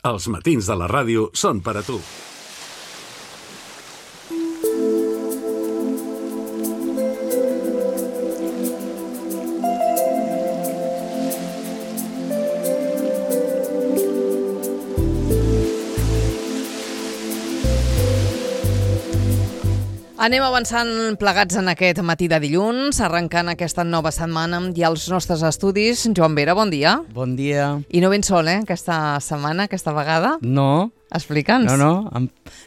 Els matins de la ràdio són per a tu. Anem avançant plegats en aquest matí de dilluns, arrencant aquesta nova setmana i als nostres estudis. Joan Vera, bon dia. Bon dia. I no ben sol, aquesta setmana, aquesta vegada? No. Explica'ns. No.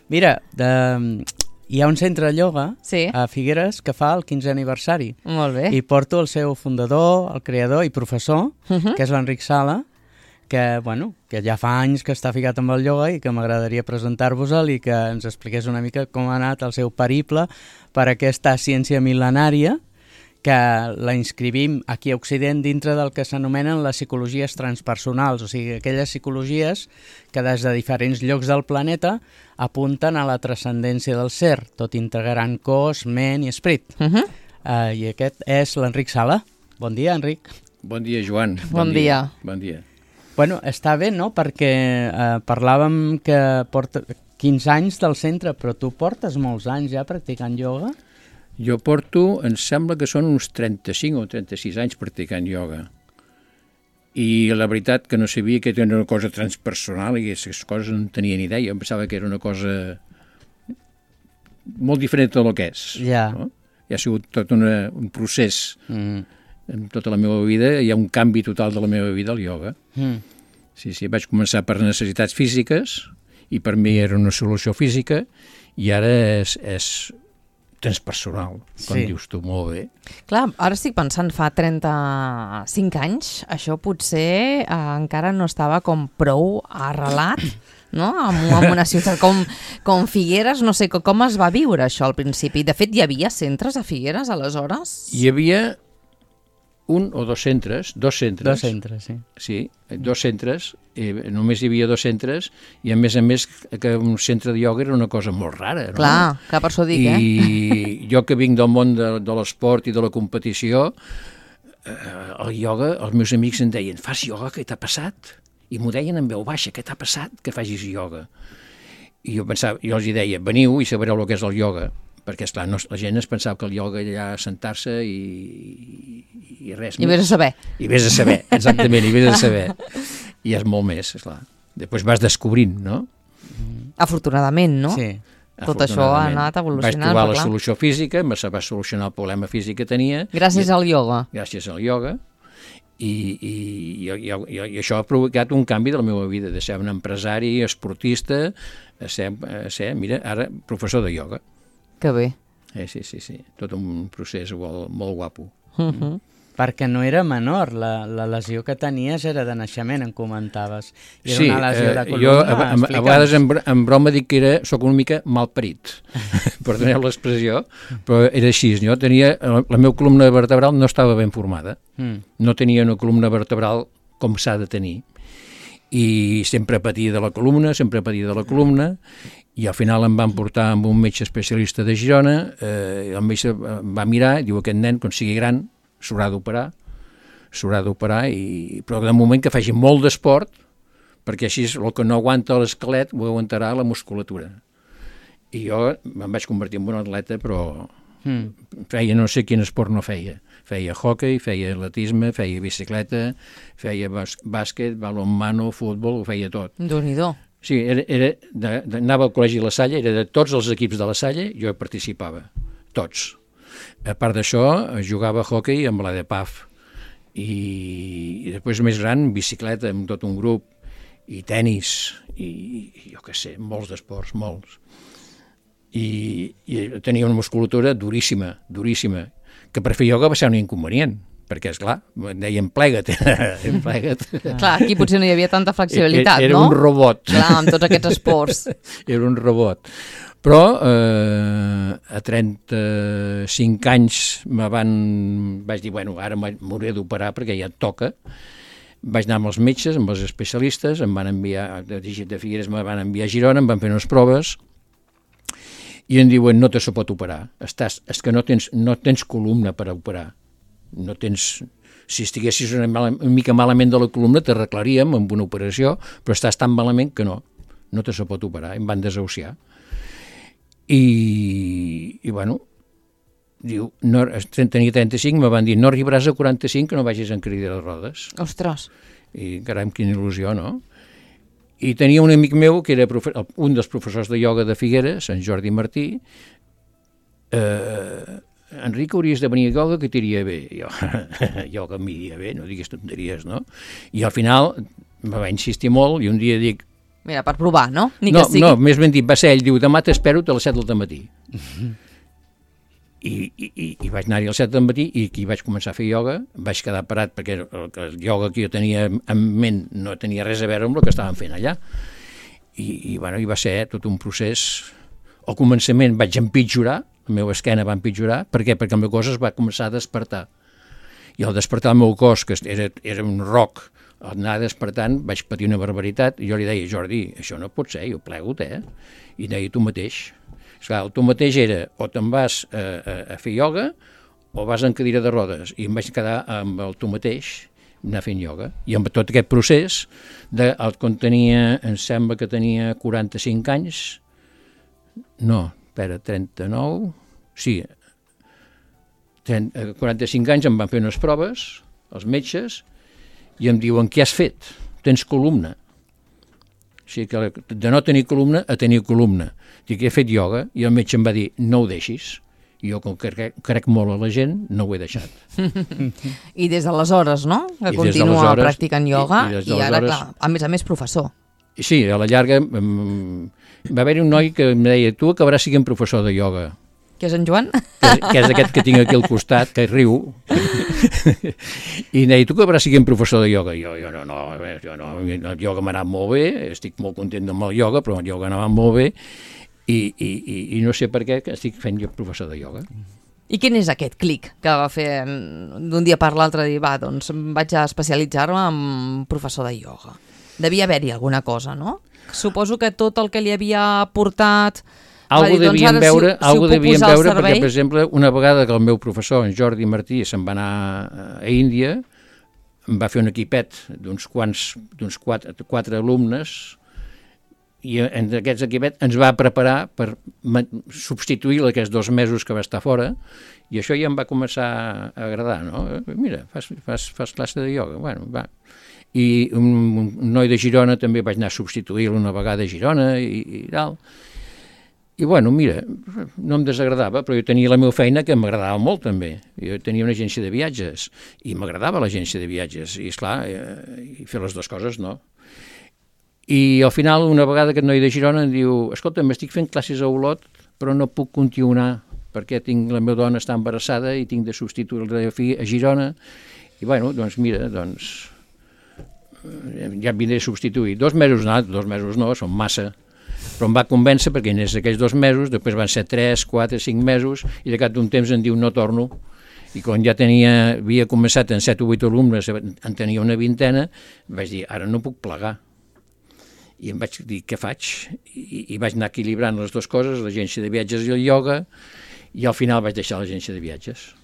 Mira, hi ha un centre de ioga a Figueres que fa el 15è aniversari. Molt bé. I porto el seu fundador, el creador i professor, que és l'Enric Sala, que ja fa anys que està ficat amb el ioga i que m'agradaria presentar-vos-el i que ens expliqués una mica com ha anat el seu periple per aquesta ciència mil·lenària que la inscrivim aquí a Occident dintre del que s'anomenen les psicologies transpersonals, o sigui, aquelles psicologies que des de diferents llocs del planeta apunten a la transcendència del ser, tot integrant cos, ment i esperit. I aquest és l'Enric Sala. Bon dia, Enric. Bon dia, Joan. Bon dia. Bon dia. Bueno, està bé, no?, perquè parlàvem que porta 15 anys del centre, però tu portes molts anys ja practicant ioga? Jo porto, em sembla que són uns 35 o 36 anys practicant ioga. I la veritat que no sabia que era una cosa transpersonal i aquestes coses no en tenia ni idea. Em pensava que era una cosa molt diferent del que és. Ja. No? I ha sigut tot un procés. En tota la meva vida hi ha un canvi total de la meva vida al ioga. Sí, vaig començar per necessitats físiques i per mi era una solució física i ara és transpersonal, com dius tu molt bé. Clar, ara estic pensant, fa 35 anys, això potser encara no estava com prou arrelat, no? En una ciutat com Figueres, no sé com es va viure això al principi. De fet, hi havia centres a Figueres aleshores? Hi havia un o dos centres. Dos centres, sí. Sí, dos centres, només hi havia dos centres i a més que un centre de ioga era una cosa molt rara, no? Clar, per això dic, I jo que vinc del món de l'esport i de la competició, el ioga, els meus amics em deien, fas ioga, què t'ha passat? I m'ho deien en veu baixa, què t'ha passat que facis ioga? I jo els deia, veniu i sabreu el que és el ioga, perquè, esclar, la gent es pensava que el ioga era sentar-se i res més. I vés a saber. I vés a saber, exactament, i vés a saber. I és molt més, esclar. Després vas descobrint, no? Afortunadament, no? Sí. Tot això ha anat evolucionant. Vaig trobar la solució física, va solucionar el problema físic que tenia. Gràcies al ioga. Gràcies al ioga. I això ha provocat un canvi de la meva vida, de ser un empresari, esportista, a ser, mira, ara professor de ioga. Que bé. Sí. Tot un procés molt guapo. Perquè no era menor, la lesió que tenies era de naixement, em comentaves. Era sí, una lesió de jo columna. a vegades en broma dic que soc una mica malparit, perdoneu l'expressió, però era així. Jo tenia, la meva columna vertebral no estava ben formada, no tenia una columna vertebral com s'ha de tenir, i sempre patia de la columna, i al final em van portar amb un metge especialista de Girona, el metge em va mirar i diu, aquest nen, quan sigui gran, s'haurà d'operar, però de moment que faci molt d'esport, perquè així el que no aguanta l'esquelet ho aguantarà la musculatura. I jo em vaig convertir en un atleta, però feia no sé quin esport no feia. Feia hoquei, feia atletisme, feia bicicleta, feia bàsquet, balonmano, futbol, ho feia tot. Déu-n'hi-do. Sí, anava al col·legi de la Salle, era de tots els equips de la Salle, jo hi participava, tots. A part d'això, jugava a hoquei amb la de PAF, i després més gran, bicicleta amb tot un grup, i tennis, i jo què sé, molts d'esports, molts. I tenia una musculatura duríssima, que per fer ioga va ser un inconvenient, perquè, esclar, em deien plega't. Clar, aquí potser no hi havia tanta flexibilitat, no? Era un robot. Clar, amb tots aquests esports. Era un robot. Però a 35 anys vaig dir, bueno, ara m'hauré d'operar perquè ja et toca. Vaig anar amb els metges, amb els especialistes, em van enviar, de Figueres me van enviar a Girona, em van fer unes proves, i em diuen, no te se pot operar, és que no tens columna per operar, no tens Si estiguessis una mica malament de la columna t'arreglaríem amb una operació, però estàs tan malament que no te se pot operar, em van desahuciar. I bueno, diu, no, tenia 35, me van dir, no arribaràs a 45 que no vagis en cadira de rodes. Ostres. I caram, quina il·lusió, no? I tenia un amic meu que era un dels professors de ioga de Figueres, en Jordi Martí. Enric, hauries de venir a ioga que t'iria bé. Jo, ioga m'iria bé, no diguis tonteries, no? I al final me va insistir molt i un dia dic... Mira, per provar, no? No, més ben dit, va ser ell, diu, demà t'espero a les 7 del matí. I vaig anar-hi a les 7 del matí i aquí vaig començar a fer ioga, vaig quedar parat perquè el ioga que jo tenia en ment no tenia res a veure amb el que estaven fent allà. I va ser tot un procés. Al començament vaig empitjorar, la meva esquena va empitjorar. Per què? Perquè el meu cos es va començar a despertar. I al despertar el meu cos, que era un roc, al anar despertant vaig patir una barbaritat i jo li deia, Jordi, això no pot ser, jo plego-te, I deia, tu mateix. Esclar, el tu mateix era o te'n vas a fer ioga o vas en cadira de rodes. I em vaig quedar amb el tu mateix, anar fent ioga. I amb tot aquest procés, quan em sembla que tenia 45 anys, no, espera, 39, sí, 45 anys em van fer unes proves, els metges, i em diuen, què has fet? Tens columna. O sigui que de no tenir columna a tenir columna. Dic, he fet ioga, i el metge em va dir, no ho deixis. I jo, com que crec molt a la gent, no ho he deixat. I des d'aleshores, no? Que continua practicant ioga i ara, clar, a més professor. Sí, a la llarga va haver-hi un noi que em deia, tu acabaràs sent professor de ioga. Que és en Joan? Que és aquest que tinc aquí al costat, que riu. I em deia, tu acabaràs sent professor de ioga? Jo no, el ioga m'ha anat molt bé, estic molt content amb el ioga, però el ioga anava molt bé, i no sé per què estic fent jo professor de ioga. I quin és aquest clic que va fer d'un dia per l'altre, dir, va, doncs vaig a especialitzar-me en professor de ioga? Devia haver-hi alguna cosa, no? Suposo que tot el que li havia portat... Algo devien veure, perquè, per exemple, una vegada que el meu professor, en Jordi Martí, se'n va anar a Índia, em va fer un equipet d'uns 4 alumnes, i en aquests equipets ens va preparar per substituir aquests 2 mesos que va estar fora, i això ja em va començar a agradar, no? Mira, fas classe de ioga, bueno, va. I un noi de Girona també vaig anar a substituir-lo una vegada a Girona i tal. I bueno, mira, no em desagradava, però jo tenia la meva feina que m'agradava molt també. Jo tenia una agència de viatges i m'agradava l'agència de viatges i, esclar, i fer les dues coses, no. I al final, una vegada aquest noi de Girona em diu, escolta, m'estic fent classes a Olot, però no puc continuar perquè la meva dona està embarassada i tinc de substituir-la a Girona. I bueno, doncs mira, ja em vindré a substituir. 2 mesos no, són massa. Però em va convèncer perquè en aquells 2 mesos, després van ser 3, 4, 5 mesos, i de cap d'un temps em diu no torno. I quan ja havia començat en 7 o 8 alumnes, en tenia una vintena, vaig dir, ara no puc plegar. I em vaig dir, què faig? I vaig anar equilibrant les dues coses, l'agència de viatges i el ioga, i al final vaig deixar l'agència de viatges.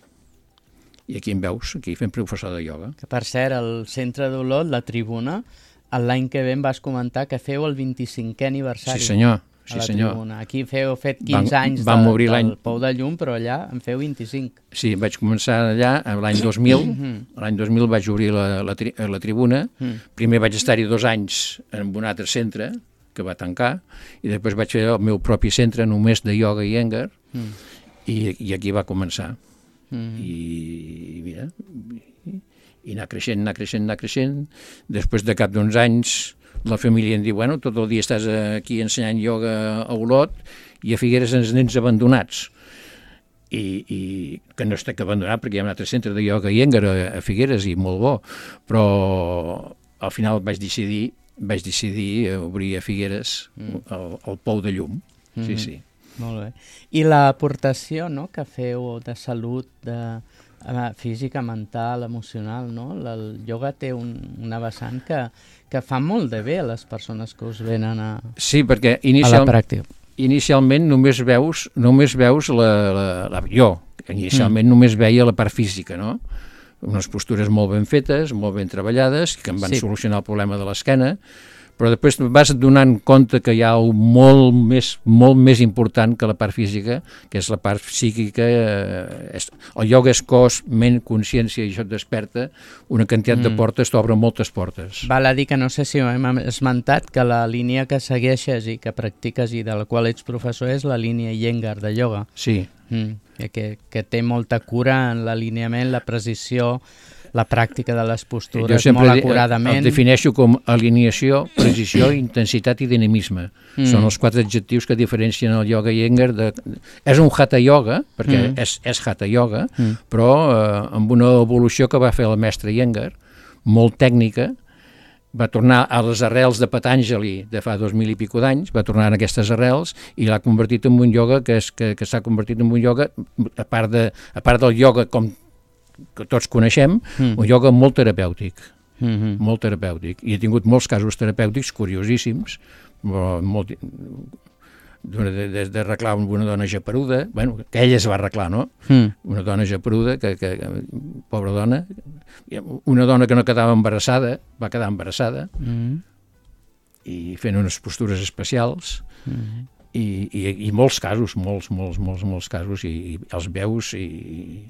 I aquí em veus, aquí fent professor de ioga. Que per cert, al centre d'Olot, la tribuna, l'any que ve em vas comentar que feu el 25è aniversari. Sí, senyor. A la tribuna. Aquí heu fet 15 anys del Pou de Llum, però allà en feu 25. Sí, vaig començar allà l'any 2000. L'any 2000 vaig obrir la tribuna. Primer vaig estar-hi 2 anys en un altre centre, que va tancar, i després vaig fer el meu propi centre només de ioga i Iyengar, i aquí va començar. I mira... i anar creixent. Després de cap d'uns anys, la família em diu, bueno, tot el dia estàs aquí ensenyant ioga a Olot i a Figueres ens nens abandonats. I que no estic abandonat perquè hi ha un altre centre de ioga i Iyengar a Figueres i molt bo, però al final vaig decidir obrir a Figueres el Pou de Llum. Sí. Molt bé. I l'aportació, no?, que feu de salut, física, mental, emocional, no? El ioga té una vessant que fa molt de bé a les persones que us venen a perquè la pràctica. Inicialment només veus jo inicialment només veia la part física, no? unes postures molt ben fetes, molt ben treballades, que em van solucionar el problema de l'esquena, però després vas donant compte que hi ha molt més important que la part física, que és la part psíquica. El ioga és cos, ment, consciència, i això et desperta una quantitat de portes, t'obre moltes portes. Val a dir que no sé si ho hem esmentat, que la línia que segueixes i que practiques i de la qual ets professor és la línia Iyengar de ioga. Sí. Que té molta cura en l'alineament, la precisió, la pràctica de les postures, jo sempre molt acuradament. El defineixo com alineació, precisió, intensitat i dinamisme. Són els 4 adjectius que diferencien el ioga Iyengar. És un hatha yoga, perquè és hatha yoga, però amb una evolució que va fer el mestre Iyengar, molt tècnica, va tornar a les arrels de Patanjali de fa 2000 i pico d'anys, va tornar a aquestes arrels i l'ha convertit en un ioga que s'ha convertit en un ioga, a part del ioga com que tots coneixem, un ioga molt terapèutic, molt terapèutic. I he tingut molts casos terapèutics curiosíssims, des d'arreglar una dona japeruda, que ella es va arreglar, no? Una dona japeruda, que pobra dona, una dona que no quedava embarassada, va quedar embarassada, i fent unes postures especials, i molts casos, molts casos, i els veus i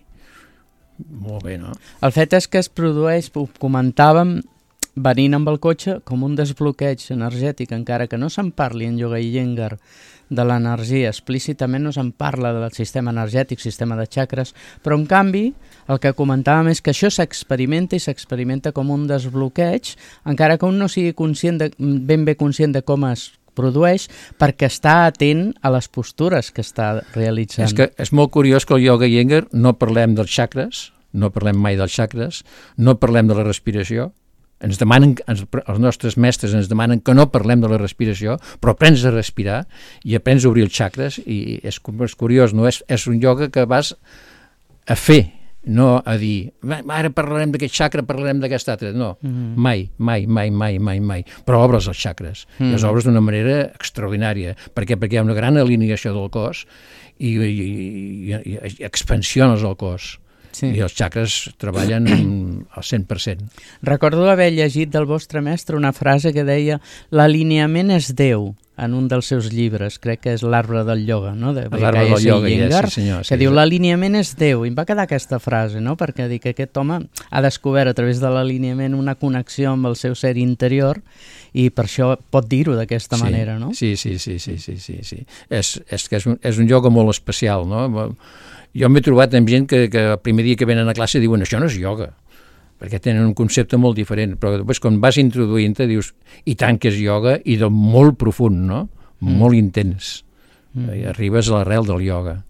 molt bé, no? El fet és que es produeix, ho comentàvem, venint amb el cotxe, com un desbloqueig energètic, encara que no se'n parli en ioga Iyengar de l'energia, explícitament no se'n parla del sistema energètic, sistema de xacres, però en canvi el que comentàvem és que això s'experimenta i s'experimenta com un desbloqueig, encara que un no sigui ben bé conscient de com es produeix, perquè està atent a les postures que està realitzant. És que és molt curiós que el ioga Iyengar no parlem dels xacres, no parlem mai dels xacres, no parlem de la respiració. Ens demanen, els nostres mestres ens demanen que no parlem de la respiració, però aprens a respirar i aprens a obrir els xacres, i és curiós, no? És un ioga que vas a fer, no a dir, ara parlarem d'aquest xacra, parlarem d'aquest altre, no, mai, però obres els xacres, i els obres d'una manera extraordinària. Per què? Perquè hi ha una gran alineació del cos i expansiones el cos. I els xacres treballen al 100%. Recordo haver llegit del vostre mestre una frase que deia l'alineament és Déu, en un dels seus llibres, crec que és l'Arbre del Ioga, no? L'Arbre del Ioga, sí senyor. Que diu l'alineament és Déu, i em va quedar aquesta frase, no? Perquè dic que aquest home ha descobert a través de l'alineament una connexió amb el seu ser interior i per això pot dir-ho d'aquesta manera, no? Sí. És que és un ioga molt especial, no? Jo m'he trobat amb gent que el primer dia que venen a classe diuen això no és ioga, perquè tenen un concepte molt diferent, però després quan vas introduint-te dius, i tant que és ioga, i de molt profund, no? Molt intens. I arribes a l'arrel del ioga.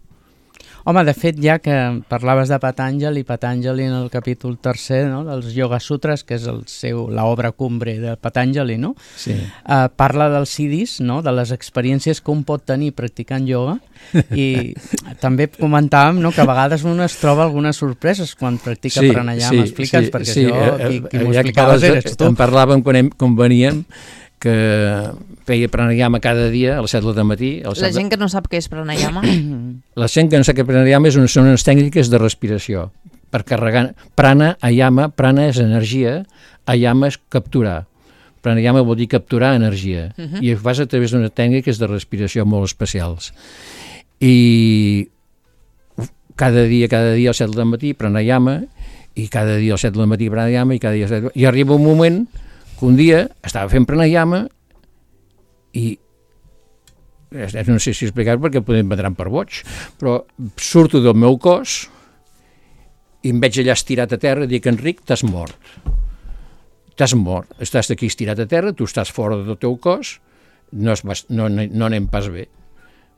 Home, de fet, ja que parlaves de Patanjali en el capítol 3, no, dels Yoga Sutras, que és l'obra cumbre de Patanjali, no? Sí. Parla dels siddhis, no? De les experiències que un pot tenir practicant ioga, i també comentàvem, no, que a vegades un es troba algunes sorpreses quan practica pranayama. Explica'ns, perquè això, qui m'ho explicaves eres tu. En parlàvem quan veníem, que feia pranayama cada dia a les 7 del matí. La gent que no sap què és pranayama? La gent que no sap què és pranayama són unes tècniques de respiració. Per carregar prana, ayama, prana és energia, ayama és capturar. Pranayama vol dir capturar energia. I ho fas a través d'unes tècniques de respiració molt especials. I cada dia a les 7 del matí pranayama, i cada dia a les 7 del matí pranayama, i arriba un moment que un dia estava fent pranayama i no sé si explicar-ho perquè podem vendran per boig, però surto del meu cos i em veig allà estirat a terra i dic, Enric, t'has mort, estàs aquí estirat a terra, tu estàs fora del teu cos, no anem pas bé.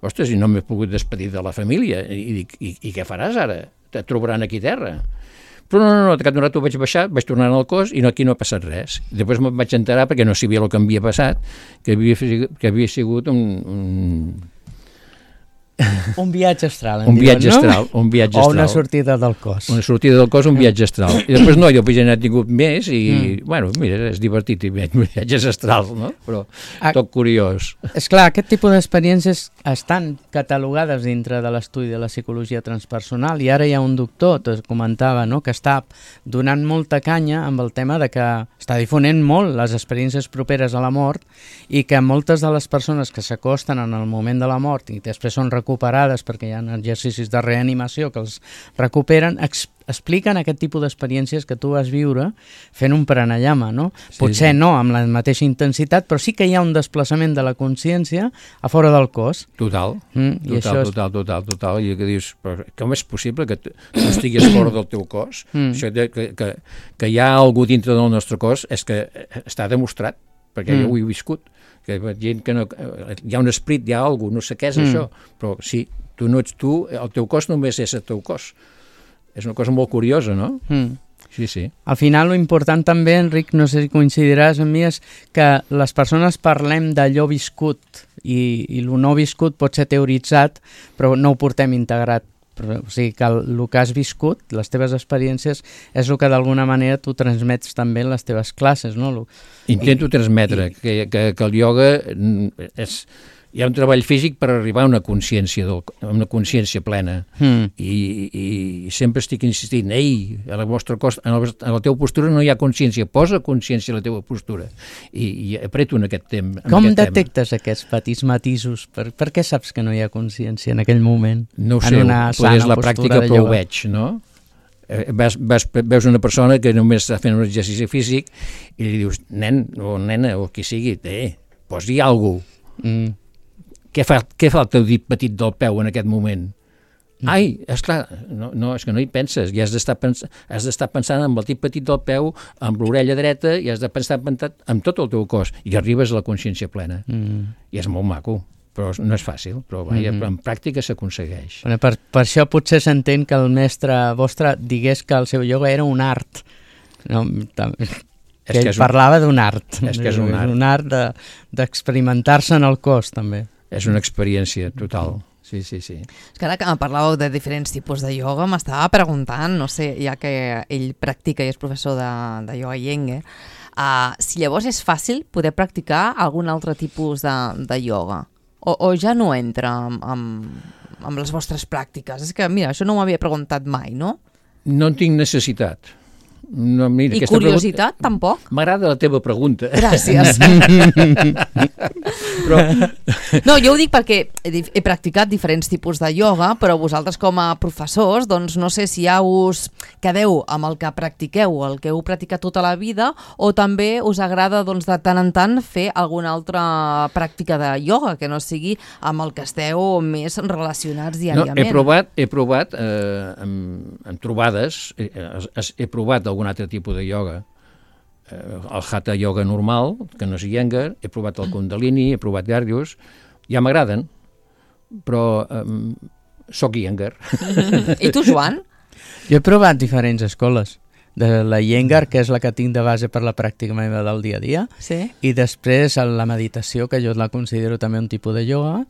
Ostres, i no m'he pogut despedir de la família, i dic, i què faràs ara? Et trobaran aquí a terra. Però no, de cap d'un rato vaig baixar, vaig tornar al cos i aquí no ha passat res. Després me'n vaig enterar, perquè no sabia el que havia passat, que havia sigut Un viatge astral, un viatge astral. O una sortida del cos. Una sortida del cos, un viatge astral. I després no, jo ja n'he tingut més i, bueno, mira, és divertit, viatges astrals, no? Però tot curiós. Esclar, aquest tipus d'experiències estan catalogades dintre de l'estudi de la psicologia transpersonal i ara hi ha un doctor, t'ho comentava, no?, que està donant molta canya amb el tema de que està difonent molt les experiències properes a la mort i que moltes de les persones que s'acosten en el moment de la mort i després són recuperades perquè hi ha exercicis de reanimació que els recuperen, expliquen aquest tipus d'experiències que tu vas viure fent un pranayama, no? Potser no amb la mateixa intensitat, però sí que hi ha un desplaçament de la consciència a fora del cos. Total. Total. I que dius, però com és possible que tu estiguis fora del teu cos? Això que hi ha algú dintre del nostre cos és que està demostrat, perquè jo ho he viscut, que gent que no, hi ha un esperit, hi ha algú, no sé què és això, però sí, tu no ets tu, el teu cos només és el teu cos. És una cosa molt curiosa, no? Sí. Al final, lo important també, Enric, no sé si coincidiràs amb mi, és que les persones parlem d'allò viscut i lo no viscut pot ser teoritzat, però no ho portem integrat. O sigui que el que has viscut, les teves experiències, és el que d'alguna manera tu transmets també en les teves classes, no? Intento transmetre que el ioga és... Hi ha un treball físic per arribar a una consciència plena i sempre estic insistint, ei, a la vostra cos, a la teva postura no hi ha consciència, posa consciència a la teva postura i apreto en aquest tema. Com detectes aquests petits matisos? Per què saps que no hi ha consciència en aquell moment? No ho sé, potser és la pràctica però ho veig, no? Veus una persona que només està fent un exercici físic i li dius, nen o nena o qui sigui, posi alguna cosa. Què fa el teu dit petit del peu en aquest moment? Ai, esclar, no, és que no hi penses, i has d'estar pensant amb el dit petit del peu, amb l'orella dreta, i has de pensar amb tot el teu cos, i arribes a la consciència plena. I és molt maco, però no és fàcil, però en pràctica s'aconsegueix. Per això potser s'entén que el mestre vostre digués que el seu ioga era un art. No, que ell parlava d'un art. És que és un art. Un art d'experimentar-se en el cos, també. És una experiència total, sí. És que ara que parlàveu de diferents tipus de ioga, m'estava preguntant, no sé, ja que ell practica i és professor de ioga Iyengar, si llavors és fàcil poder practicar algun altre tipus de ioga, o ja no entra amb les vostres pràctiques. És que, mira, això no m'ho havia preguntat mai, no? No en tinc necessitat. No, mira, i curiositat, tampoc? M'agrada la teva pregunta. Gràcies. No, jo ho dic perquè he practicat diferents tipus de ioga, però vosaltres com a professors, doncs no sé si ja us quedeu amb el que practiqueu, el que heu practicat tota la vida, o també us agrada doncs, de tant en tant fer alguna altra pràctica de ioga, que no sigui amb el que esteu més relacionats diàriament. No, he provat en trobades, he provat algun altre tipus de ioga, el Hatha Yoga normal, que no és Iyengar, he provat el Kundalini, he provat Dhyarjus, ja m'agraden, però soc Iyengar. I tu, Joan? Jo he provat diferents escoles, de la Iyengar, que és la que tinc de base per la pràctica meva del dia a dia, i després la meditació, que jo la considero també un tipus de ioga,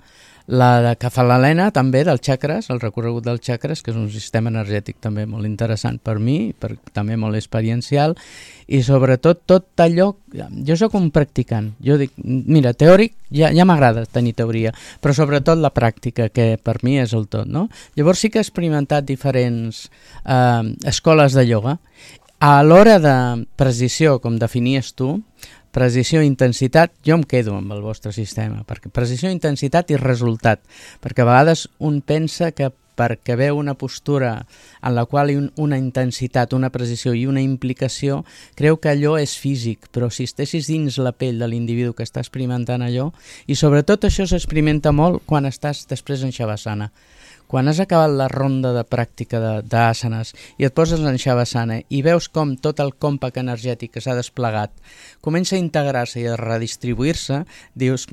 la de Kefalena també, dels xacres, el recorregut dels xacres, que és un sistema energètic també molt interessant per mi, també molt experiencial, i sobretot tot allò, jo sóc un practicant, jo dic, mira, teòric ja m'agrada tenir teoria, però sobretot la pràctica, que per mi és el tot, no? Llavors sí que he experimentat diferents escoles de ioga. A l'hora de precisió, com definies tu, precisió i intensitat, jo em quedo amb el vostre sistema, perquè precisió, intensitat i resultat, perquè a vegades un pensa que perquè veu una postura en la qual hi ha una intensitat, una precisió i una implicació, creu que allò és físic, però si estessis dins la pell de l'individu que està experimentant allò, i sobretot això s'experimenta molt quan estàs després en Shavasana. Quan has acabat la ronda de pràctica d'àsanes i et poses en Shavasana i veus com tot el còmpac energètic que s'ha desplegat comença a integrar-se i a redistribuir-se, dius,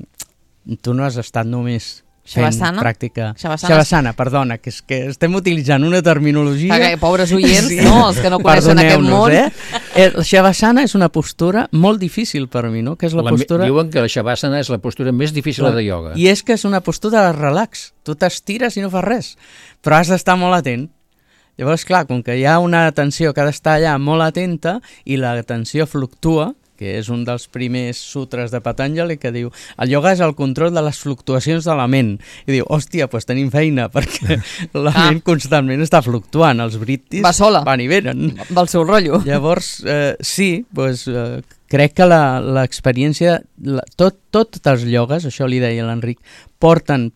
tu no has estat només fent Shavasana? pràctica. Shavasana. Shavasana, perdona, que és que estem utilitzant una terminologia... Pobres oients, no? Els que no coneixen aquest món. El Shavasana és una postura molt difícil per mi, no? Que és la postura... Diuen que la Shavasana és la postura més difícil de ioga. I és que és una postura de relax. Tu t'estires i no fas res, però has d'estar molt atent. Llavors, clar, com que hi ha una atenció que ha d'estar allà molt atenta i l'atenció fluctua, que és un dels primers sutres de Patanjali, que diu el ioga és el control de les fluctuacions de la ment. I diu, hòstia, doncs tenim feina, perquè la ment constantment està fluctuant, els britis van i venen. Va al seu rotllo. Llavors, sí, doncs, crec que l'experiència, tots els iogues, això li deia l'Enric, porten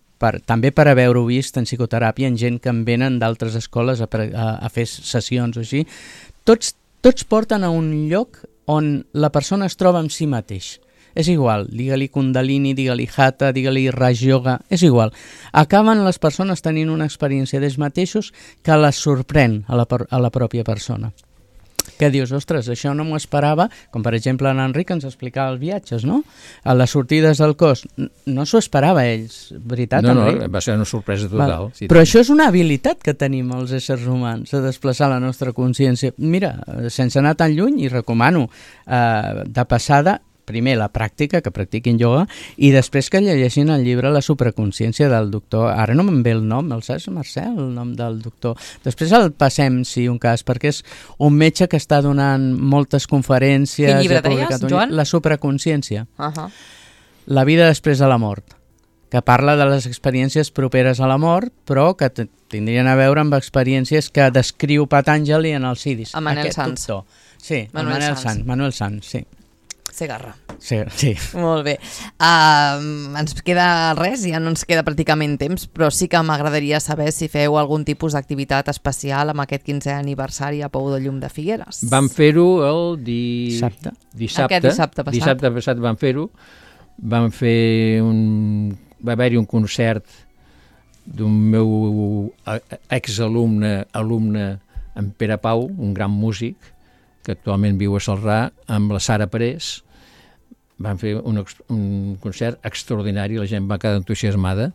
també per haver-ho vist en psicoteràpia, en gent que en venen d'altres escoles a fer sessions o així, tots porten a un lloc on la persona es troba amb si mateix. És igual, digue-li Kundalini, digue-li Hatha, digue-li Raj Yoga, és igual. Acaben les persones tenint una experiència d'ells mateixos que les sorprèn a la pròpia persona. Que dius, ostres, això no m'ho esperava, com per exemple l'Enric ens explicava els viatges, no? A les sortides del cos, no s'ho esperava ells, veritat? No, va ser una sorpresa total. Sí, però això és una habilitat que tenim els éssers humans, de desplaçar la nostra consciència. Mira, sense anar tan lluny, i recomano de passada, primer la pràctica, que practiquin ioga, i després que llegeixin el llibre La supraconsciència del doctor, ara no me'n ve el nom, el saps, Marcel, el nom del doctor? Després el passem, si un cas, perquè és un metge que està donant moltes conferències... Quin llibre deies, Joan? La supraconsciència. La vida després de la mort, que parla de les experiències properes a la mort, però que tindrien a veure amb experiències que descriu Patanjali en els Siddhis. A Manuel Sanz. Sí, Manuel Sanz, sí. Segarra. Sí. Molt bé. Ens queda res, ja no ens queda pràcticament temps, però sí que m'agradaria saber si feu algun tipus d'activitat especial amb aquest 15è aniversari a Pou de Llum de Figueres. Vam fer-ho el dissabte. Aquest dissabte passat. Dissabte passat vam fer-ho. Va haver-hi un concert d'un meu exalumne, en Pere Pau, un gran músic, que actualment viu a Celrà, amb la Sara Parés. Van fer un concert extraordinari, la gent va quedar entusiasmada,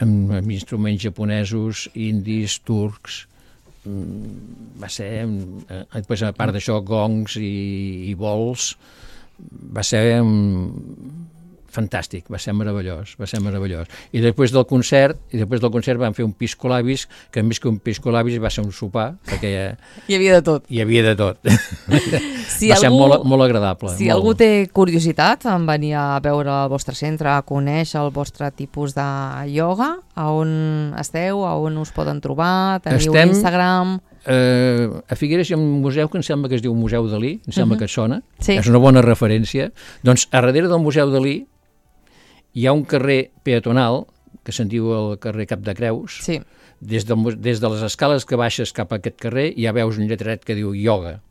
amb instruments japonesos, indis, turcs. Va ser, després a part d'això, gongs i bols. Va ser fantàstic, va ser meravellós. I després del concert vam fer un piscolabis, que a més que un piscolabis va ser un sopar, perquè hi havia de tot. Va ser molt agradable. Si algú té curiositat en venir a veure el vostre centre, a conèixer el vostre tipus de ioga, a on esteu, a on us poden trobar, teniu Instagram... A Figueres hi ha un museu que em sembla que es diu Museu Dalí, em sembla que et sona, sí. És una bona referència. Doncs a darrere del Museu Dalí hi ha un carrer peatonal, que se'n diu el carrer Cap de Creus. Sí. Des de les escales que baixes cap a aquest carrer ja veus un lletret que diu ioga.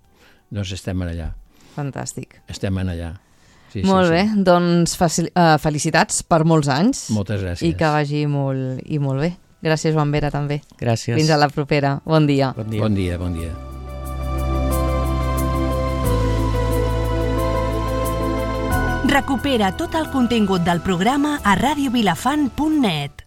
Doncs estem allà. Fantàstic. Estem allà. Sí, molt bé, doncs felicitats per molts anys. Moltes gràcies. I que vagi molt bé. Gràcies, Joan Vera, també. Gràcies. Fins a la propera. Bon dia. Bon dia. Recupera tot el contingut del programa a radiovilafant.net.